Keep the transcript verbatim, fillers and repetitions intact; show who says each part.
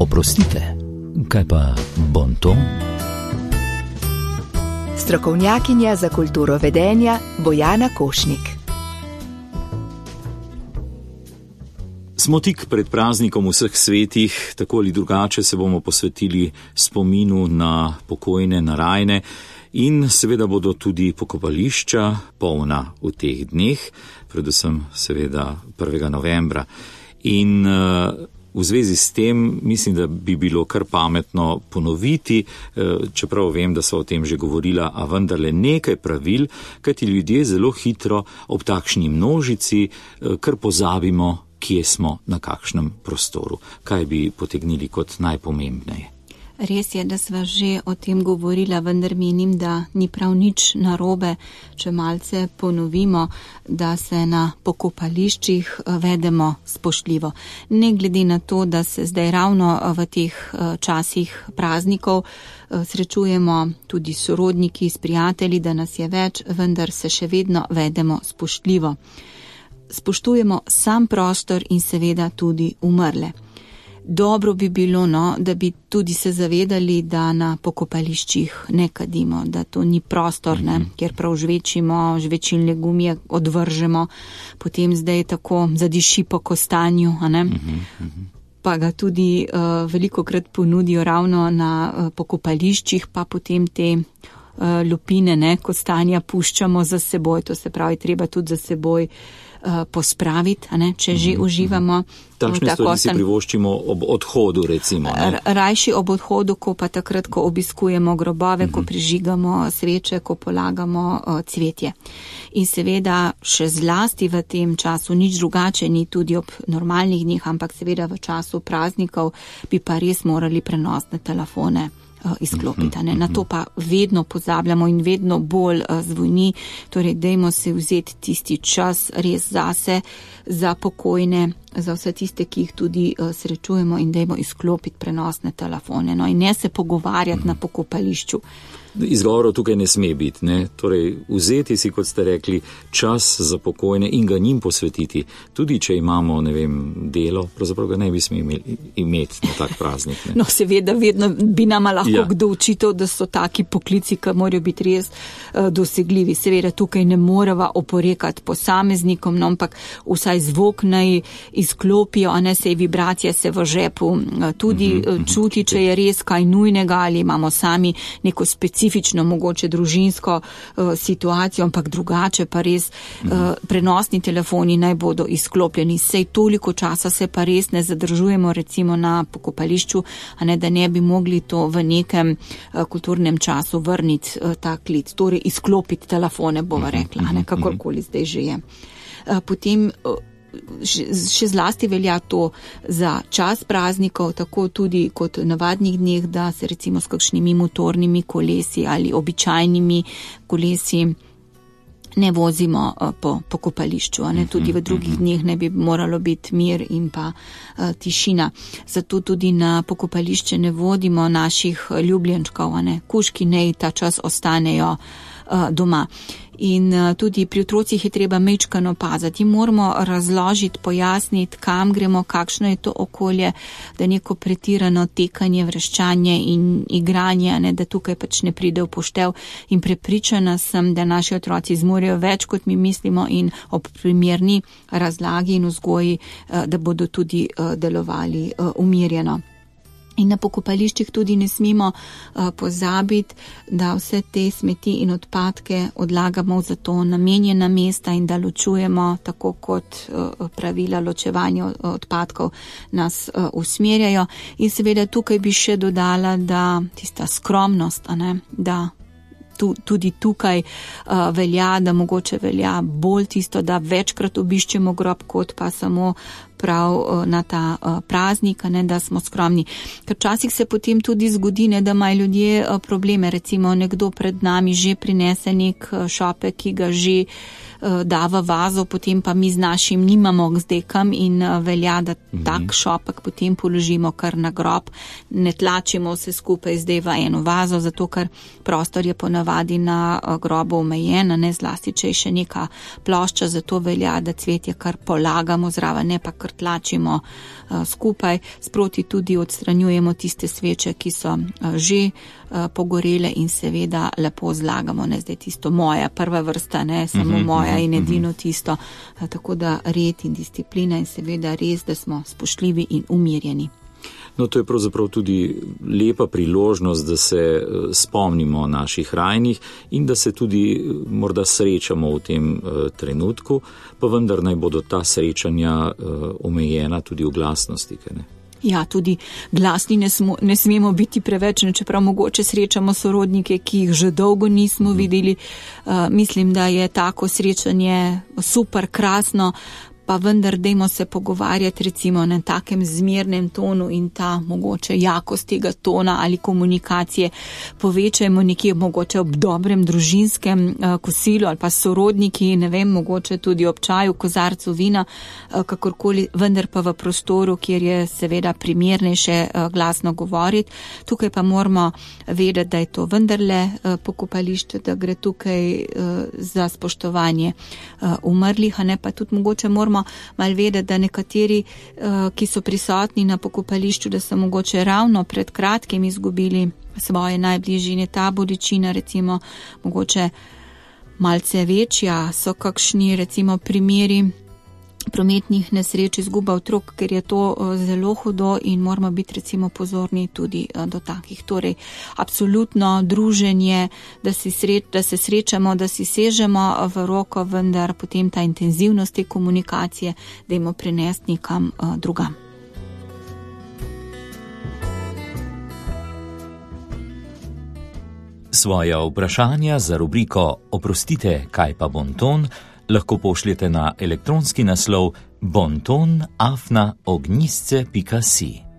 Speaker 1: Oprostite, kaj pa bonton?
Speaker 2: Strokovnjakinja za kulturo vedenja Bojana Košnik.
Speaker 3: Smo tik pred praznikom vseh svetih, tako ali drugače se bomo posvetili spominu na pokojne, na rajne in seveda bodo tudi pokopališča polna v teh dneh, predvsem seveda prvega novembra. In uh, v zvezi s tem mislim, da bi bilo kar pametno ponoviti, čeprav vem, da so o tem že govorila, a vendarle nekaj pravil, kajti ljudje zelo hitro ob takšni množici kar pozabimo, kje smo, na kakšnem prostoru. Kaj bi potegnili kot najpomembneje?
Speaker 4: Res je, da sva že o tem govorila, vendar menim, da ni prav nič narobe, če malce ponovimo, da se na pokopališčih vedemo spoštljivo. Ne glede na to, da se zdaj ravno v teh časih praznikov srečujemo tudi s sorodniki, s prijatelji, da nas je več, vendar se še vedno vedemo spoštljivo. Spoštujemo sam prostor in seveda tudi umrle. Dobro bi bilo, no, da bi tudi se zavedali, da na pokopališčih ne kadimo, da to ni prostor, ne, kjer prav žvečimo, žvečilne gumije odvržemo, potem zdaj tako zadiši po kostanju, a ne. Pa ga tudi uh, velikokrat ponudijo ravno na uh, pokopališčih, pa potem te uh, lupine, ne, kostanja puščamo za seboj, to se pravi, treba tudi za seboj uh, pospraviti, a ne, če že uživamo.
Speaker 3: Takšne stvari si privoščimo ob odhodu, recimo. Ne?
Speaker 4: Rajši ob odhodu, ko pa takrat, ko obiskujemo grobove, uh-huh. ko prižigamo sveče, ko polagamo uh, cvetje. In seveda še zlasti v tem času nič drugače ni tudi ob normalnih dneh, ampak seveda v času praznikov bi pa res morali prenosne telefone izklopiti. Ne? Na to pa vedno pozabljamo in vedno bolj zvoni, torej dajmo se vzeti tisti čas res zase, za pokojne, za vse tiste, ki jih tudi srečujemo in dajmo izklopiti prenosne telefone. No? In ne se pogovarjati na pokopališču.
Speaker 3: Izgovorov tukaj ne sme biti, ne? Torej, vzeti si, kot ste rekli, čas za pokojne in ga njim posvetiti. Tudi, če imamo, ne vem, delo, pravzaprav ga ne bi smeli imeti na tak praznik. Ne?
Speaker 4: No, seveda, vedno bi nama lahko ja. kdo učitev, da so taki poklici, ki morajo biti res uh, dosegljivi. Seveda, tukaj ne morava oporekati posameznikom, no, ampak vsaj zvok naj izklopijo, a ne sej vibracija se v žepu uh, tudi uh, čuti, če je res kaj nujnega ali imamo sami neko specifično specifično, mogoče družinsko uh, situacijo, ampak drugače pa res uh, prenosni telefoni naj bodo izklopljeni. Sej toliko časa se pa res ne zadržujemo recimo na pokopališču, a ne da ne bi mogli to v nekem uh, kulturnem času vrniti uh, ta klic, torej izklopiti telefone, bova rekla, a ne kakorkoli zdaj že je. Uh, potem uh, še zlasti velja to za čas praznikov, tako tudi kot navadnih dneh, da se recimo s kakšnimi motornimi kolesi ali običajnimi kolesi ne vozimo po pokopališču, a ne, tudi v drugih dneh ne bi moralo biti mir in pa uh, tišina. Zato tudi na pokopališče ne vodimo naših ljubljenčkov, a ne, kužki naj ta čas ostanejo uh, doma. In tudi pri otrocih je treba mečkano paziti. Moramo razložiti, pojasniti, kam gremo, kakšno je to okolje, da neko pretirano tekanje, vreščanje in igranje, ne, da tukaj pač ne pride v poštev. In prepričana sem, da naši otroci zmorejo več, kot mi mislimo, in ob primerni razlagi in vzgoji, da bodo tudi delovali umirjeno. In na pokopališčih tudi ne smemo uh, pozabiti, da vse te smeti in odpadke odlagamo v za to namenjena mesta in da ločujemo, tako kot uh, pravila ločevanja odpadkov nas uh, usmerjajo. In seveda tukaj bi še dodala, da tista skromnost, a ne, da tu, tudi tukaj uh, velja, da mogoče velja bolj tisto, da večkrat obiščemo grob, kot pa samo prav na ta uh, praznik, ne, da smo skromni. Ker včasih se potem tudi zgodi, ne, da imajo ljudje uh, probleme. Recimo nekdo pred nami že prinese nek uh, šopek, ki ga že da v vazo, potem pa mi z našim nimamo zdaj kam in velja, da
Speaker 3: Mhm.
Speaker 4: tak šopek potem položimo kar na grob, ne tlačimo vse skupaj zdaj v eno vazo, zato ker prostor je ponavadi na grobu omejen, ne zlasti, če je še neka plošča, zato velja, da cvetje kar polagamo zraven, ne pa kar tlačimo uh, skupaj. Sproti tudi odstranjujemo tiste sveče, ki so uh, že uh, pogorele in seveda lepo zlagamo, ne zdaj tisto moja prva vrsta, ne samo
Speaker 3: Mhm,
Speaker 4: moja
Speaker 3: mhm,
Speaker 4: in edino
Speaker 3: mhm.
Speaker 4: tisto, uh, tako da red in disciplina in seveda res, da smo spoštljivi in umirjeni.
Speaker 3: No, to je pravzaprav tudi lepa priložnost, da se eh, spomnimo naših rajnih in da se tudi eh, morda srečamo v tem eh, trenutku, pa vendar naj bodo ta srečanja eh, omejena tudi v glasnosti, kaj ne?
Speaker 4: Ja, tudi glasni ne, smo, ne smemo biti preveč, čeprav mogoče srečamo sorodnike, ki jih že dolgo nismo videli. Uh, mislim, da je tako srečanje super, krasno, pa vendar dajmo se pogovarjati recimo na takem zmernem tonu in ta mogoče jakost tega tona ali komunikacije povečajmo nekje mogoče ob dobrem družinskem uh, kosilu ali pa sorodniki, ne vem, mogoče tudi ob čaju, kozarcu vina, uh, kakorkoli, vendar pa v prostoru, kjer je seveda primernejše uh, glasno govoriti. Tukaj pa moramo vedeti, da je to vendarle uh, pokopališče, da gre tukaj uh, za spoštovanje uh, umrlih, a ne pa tudi mogoče moramo malo vedeti, da nekateri, ki so prisotni na pokopališču, da so mogoče ravno pred kratkim izgubili svoje najbližje in je ta bolečina recimo mogoče malce večja, so kakšni recimo primeri prometnih nesreč, izguba otrok, ker je to zelo hudo in moramo biti recimo pozorni tudi do takih. Torej, absolutno druženje, da, si sreč, da se srečamo, da si sežemo v roko, vendar potem ta intenzivnost te komunikacije dajmo prenesti nekam drugam.
Speaker 1: Svoja vprašanja za rubriko Oprostite, kaj pa bonton, lahko pošljete na elektronski naslov bonton afna ognjisce pika si.